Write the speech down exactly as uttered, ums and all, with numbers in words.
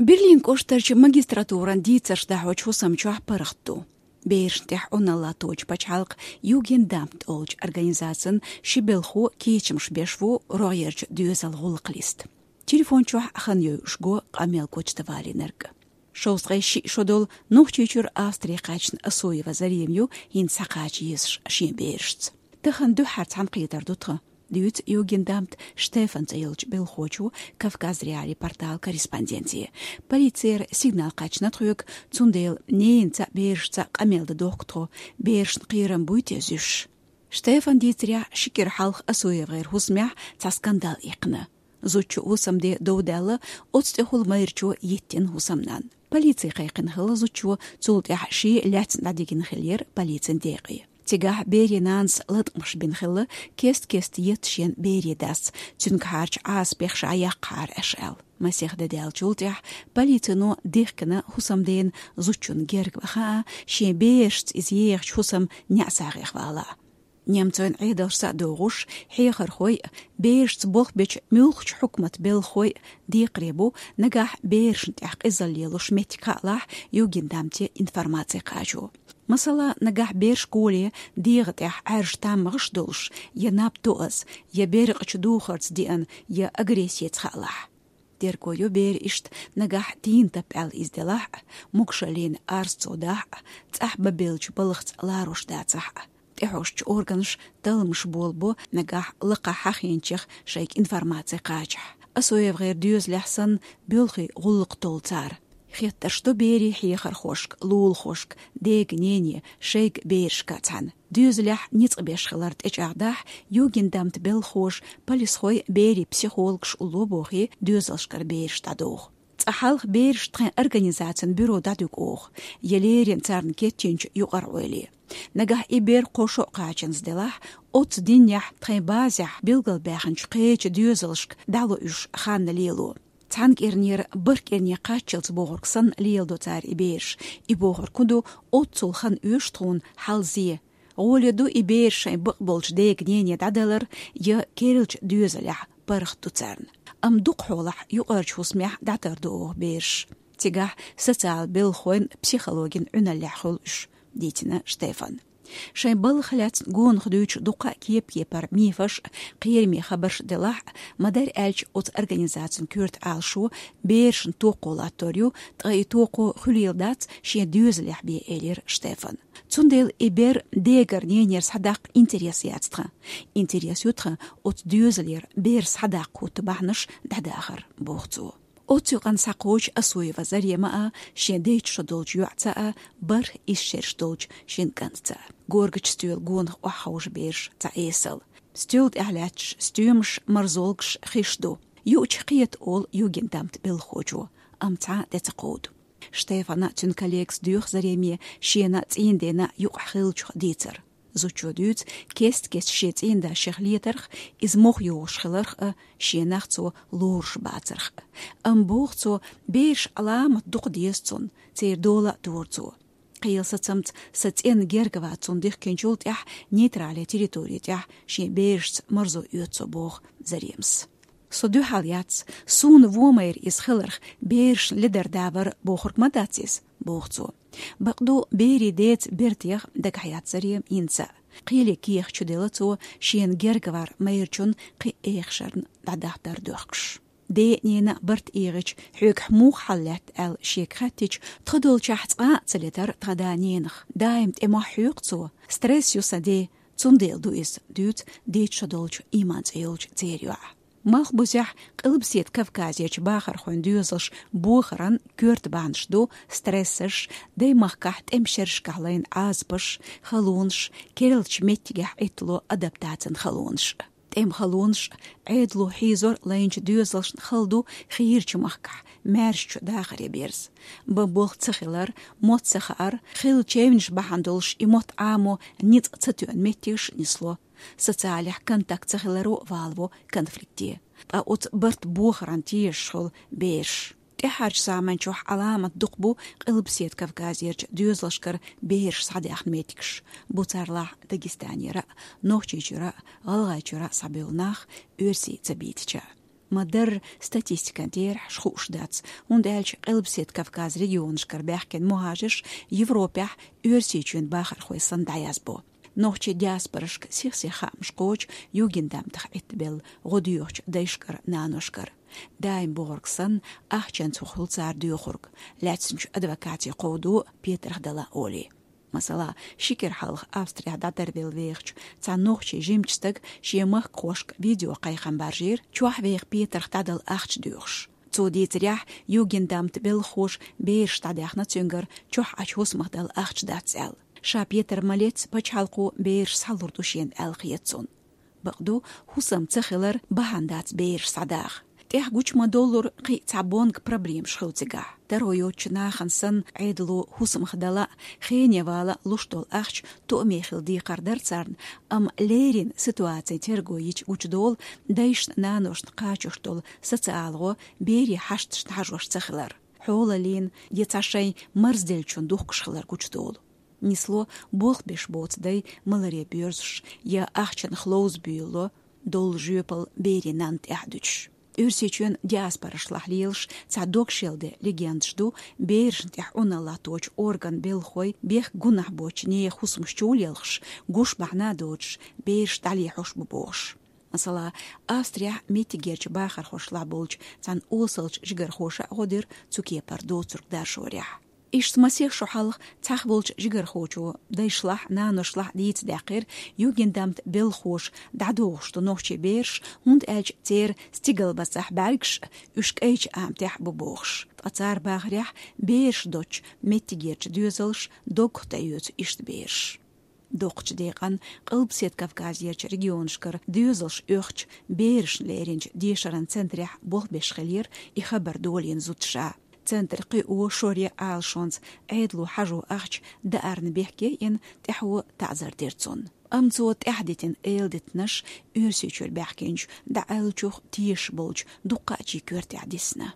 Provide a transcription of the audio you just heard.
Берлин кӀоштарчу магистратуран дийцарш дахьочу хӀусам чохь паргӀат ду. Берашна тӀехь Ӏуналла тоьчу пачхьалкх Югендамт олучу организацин ши белхо кечамаш беш ву рогӀерчу доьзал гӀуллакх листа. Телефон чохь хан йойуш го къамел гочда валийнарг. Шовзткъе шиъ шо долу Нохчийчуьра Австри кхаьчна Асуева Зарема ю хӀинца схьакхача езаш шен берашца. Тахана дуьххьара цхьаьнакхетар ду тхан, дуьйцу Югендамт Штефан цӀе йолчу белхочо Кавказ.Реалии порталан корреспонденте. Полицера сигнал кхаьчна тхоьга, цундела ненаца а, берашца а къамел дан дохку тхо, берашна кхерам буй те зуьйш. Штефан дийцарехь, ши кӀира хьалха Асуевгара хӀусамехь цхьа скандал иккхина. Зудчун хӀусамде дов даьлла, оцу тӀехула майрачо йиттина хӀусамнанна. Полици кхайкхина хилла зудчо, цул тӀаьхьа шен лаьцна дӀадигина хиллера полицин декъе. Цигахь берийн нанас латкъамаш бина хилла, кест-кеста етта шен берийн дас, цуьнгахьарчу Ӏазапех ша яккхахьара аша аьлла. Масех де даьллачул тӀаьхьа полицино дихкина хӀусамдена зудчунна герга баха а, шен берашца иза ехачу хӀусаман неӀсагӀех вала а. Немцойн Ӏедалшца а догӀуш, хьехархой а, берашца болх бечу муьлххачу хьукматан белхахой а декхаре бу, нагахь берашна тӀехь къизалла лелош меттиг хаалахь, Югендамте информаци кхачо. Масала, нагахь бер школе дегӀан тӀехь Ӏаьржа таммагӀаш долуш, я наб тоаза, я беркъачу духарца деана, я агрессица хаалахь. Терго йо бер иштта нагахь тийна тап аьлла иза делахь а, могушаллина арз цо дахь а, цӀахь бан беллачу балхаца ларош дацахь а. ТӀехьожучу органаша талламаш болабо нагахь лакхахь хьахийначех шайга информаци кхачахь. Асуевгара доьзалехь санна, боьлхий гӀуллакх толу цара. Хеттарш до берийн хьехархошка, лулахошка, дега-нене, шайга берашка цхьаьна. Доьзалехь ницкъ беш хилар тӀечӀагӀдахь, Югендамтан белхахоша, полисхой, берийн психологаш улло бохий, доьзалшкара бераш дӀадоху. Цкъа хьалха бераш тхайн организацин бюро дӀадуьгу оха, я леррина царна кечйинчу юкъара-Ӏойла. Нагахь и бер кхо шо а кхачанза делахь, оццу дийнахь тхайн базехь билгалбаьхначу кхечу доьзалшка дӀало уьш ханна лело. Цхьана кӀирнера бархӀ кӀирне кхаччалц бохург санна леладо цара и бераш, и бохург хӀун ду, оццул хан оьшу тхуна хьалзе. ГӀоле ду и бераш шайн бакъболчу дега-нене дӀадалар, я керлачу доьзалехь паргӀат ду царна. Амма дукхахьолахь юкъарчу хӀусамехь дӀатарду оха бераш. Цигахь социал белхахойн психологин Ӏуьналлехь хуьлу уьш, дийцина Штефана. Шайн балхах лаьцна гонах дуьйцуш дуккха а кеп-кепара мифаш а, кхераме хабарш а делахь а, ма-дарра аьлча оцу организацин коьрта Ӏалашо берашна токхо латтор ю, ткъа и токхо хуьлийла дац шен доьзалехь бен, элира Штефана. Цундела и бер дегара-ненера схьадаккха интерес яц тхан. Интерес ю тхан оцу доьзалера бер схьадаккха хӀутту бахьанаш дӀадахар, боху цо. Оццу юкъана схьакхочу Асуева Зарема а, шен дейтта шо долчу йоӀца а, бархӀ исс шераш долчу шина кӀантаца а. Горгачу стоьла гонах охьаховшу бераш цхьа эсала. Стоьла тӀехь лаьтташ стоьмаш, марзолгаш, хиш ду. Юучу кхета, олу Югендамтан белхахочо, амма цхьа а тӀе ца кховду. Штефана а, цуьнан коллегас доьху Зареме шена а, цӀийнан дена а юкъахь хиллачух дийцар. Зудчо дуьйцу кест-кеста шен цӀийнан да шех летарх, иза мохь йогӀуш хиларх а, шен нах цо лоруш бацарх а. Амма, боху цо, бераш Ӏаламат дукха деза цунна, церан дола а дора цо. Кхелан сацамца сан цӀенна герга вац цунна дихкинчул тӀаьхьа нейтрале территори тӀехь шен берашца марзо оьцу со, боху Заремас. Со дуьхьал яц, суна вон майра иза хиларх, берашна ледар да вара бохург ма дац иза, боху цо. Бакъду, берийн деца бертех дагахь яц Зарема хӀинца а. Кхеле кехат чу делла цо, шена герга вар майрачун кхин а эхашарна дӀадахьдар доьхкуш. Ден а, ненан а барт эгӀича, хьоьгахь муха хьал лаьтта аьлла шега хаьттича, тхо долчохь цкъа а ца летара тхан да-ненах. Даим тӀе мохь хьоькху цо. Стресс ю сан ден, цундела ду иза, дуьйцу дейтта шо долчу Иман цӀе йолчу церан йоӀа. Малхбузехь, Къилбаседа Кавказерчу бахархойн доьзалш бохаран коьрта бахьанаш ду стрессаш, даймахкахь тӀеман шерашкахь лайна Ӏазапаш, халонаш, керлачу меттигехь Ӏиттало адаптацин халонаш. ТӀеман халонаш, Ӏедало хьийзор лайначу доьзалшна хала ду хийрачу махкахь, маьршачу дахаре берза. Бан болх ца хилар, мотт ца хаар, хилла чевнаш бахьана долуш и мотт Ӏамо ницкъ ца тоьъна меттигаш нисло. Социалехь контакт ца хиларо валаво конфликте. Ткъа оцу барт бохаран тешаш хуьлу бераш. ТӀаьхьарчу заманчохь Ӏаламат дукха бу Къилбаседа Кавказерчу доьзалшкара бераш схьадаьхна меттигаш. Бу царлахь Дагестанера а, Нохчийчуьра а, ГӀалгӀайчуьра а схьабевлла нах, оьрсий ца бийцича. Ма-дарра статистикан терахьаш хууш дац, хӀунда аьлча Къилбаседа Кавказ регионашкара баьхкина мухӀажарш Европехь Оьрсийчоьнан бахархой санна дӀаязбо. Нохчийн диаспорашка сих-сиха хаамаш кхочу югендамтах Ӏиттабелла гӀо доьхучу дайшкара, наношкара. Даим бохург санна, ахчанца хӀума хуьлу цара доьхург, лаьцначу адвокате кховдо, петарх дала олий. Масала, ши кӀира хьалха Австрехь дӀатарбелла вехачу цхьана нохчийн жимачу стага шен махкахошка видео кхайкхам баржийра, чохь веха петарх дӀадала ахча доьхуш. Цо дийцарехь, югендамт белхахоша бераш дӀадаьхна цуьнгара чохь Ӏачу хӀусамах дала ахча дац аьлла. Ша петар ма леццара пачхьалкхо бераш схьалур ду шена аьлла хета цунна. Бакъду, хӀусам ца хилар бахьана дац бераш схьадаха. ТӀехь гучу ма-доллура кхин а цхьа бонга проблемаш хуьлу цигахь. Таро йоцучу нахана санна, Ӏедало хӀусамах дала а, хене вала а луш долу ахча тоаме хила декхар дара царна, амма леррина ситуацин терго йича гучудолу дайшна, наношна кхачош долу социалан гӀо берийн хьашташна хьажош ца хилар, хьолаллина я цхьа шайн марзделлачунна духкуш хилар гучудолу. Нисло болх беш боцу дай маларе боьрзуш я ахчанах ловза буьйлало, доллу жоьпалла берийн нанна тӀаьхьа дуьтуш. Оьрсийчоьнан диаспорашлахь лелаш цхьа дог шелде легендаш ду, берашна тӀехь Ӏуналла латточу органан белхахой бехк-гунахь боцучу нехан хӀусамаш чулелхаш, гуш бахьана а доцуш, бераш дӀалехьош бу бохуш. Масала, Австрехь меттигерчу бахархошлахь болчу цхьана осалчу жигархоша а гӀо дира цу кепара доцург даржорехь. Иштта масех шо хьалха цхьаьна волчу жигархочо дайшлахь а, наношлахь а дийцадаьккхира, югендамт белхахоша дӀадохуш ду нохчийн бераш, хӀунда аьлча церан стигалбацахь бӀаьргаш а уьш кӀайчу аматехь а бу бохуш. Ткъа цара бахарехь, бераш доцучу меттигерчу доьзалша доггах тӀеоьцу иштта бераш. Доккхачу декъана Къилбаседа Кавказерчу регионашкара доьзалш оьхучу берашна леринчу дешаран центрехь болх беш хиллера и хабар долийна зудчо. Центран кхио, шоре алашонца Ӏедало хьажо ахча даарна бехке йина, тӀаьхьо таӀзар дира цунна. Амма цо тӀаьхьадитина эладитанаш Оьрсийчуьра баьхкинчу дӀааьллачух тешаш болчу дуккха а чийн коьртехь дисна.